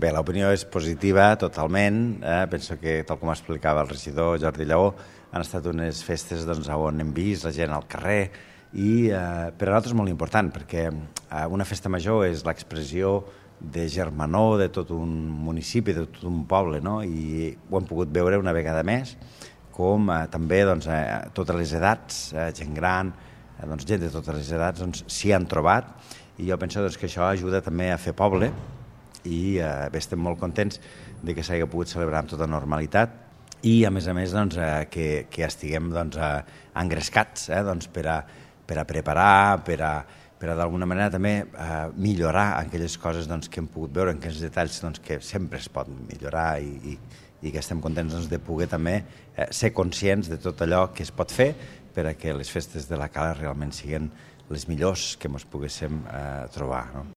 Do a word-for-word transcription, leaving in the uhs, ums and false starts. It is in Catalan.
Bé, l'opinió és positiva totalment. Eh? Penso que, tal com explicava el regidor Jordi Lleó, han estat unes festes doncs, on hem vist la gent al carrer i eh, per a nosaltres és molt important perquè eh, una festa major és l'expressió de germanor de tot un municipi, de tot un poble, no? I ho hem pogut veure una vegada més, com eh, també doncs, eh, totes les edats, eh, gent gran, eh, doncs, gent de totes les edats doncs, s'hi han trobat, i jo penso doncs, que això ajuda també a fer poble i eh, bé, estem molt contents de que s'hagi pogut celebrar amb tota normalitat i a més a més doncs, eh, que, que estiguem doncs, eh, engrescats eh, doncs, per, a, per a preparar, per a, per a d'alguna manera també eh, millorar aquelles coses doncs, que hem pogut veure, en aquells detalls doncs, que sempre es pot millorar i, i, i que estem contents doncs, de poder també eh, ser conscients de tot allò que es pot fer per a que les festes de la Cala realment siguin les millors que ens poguéssim eh, trobar. No?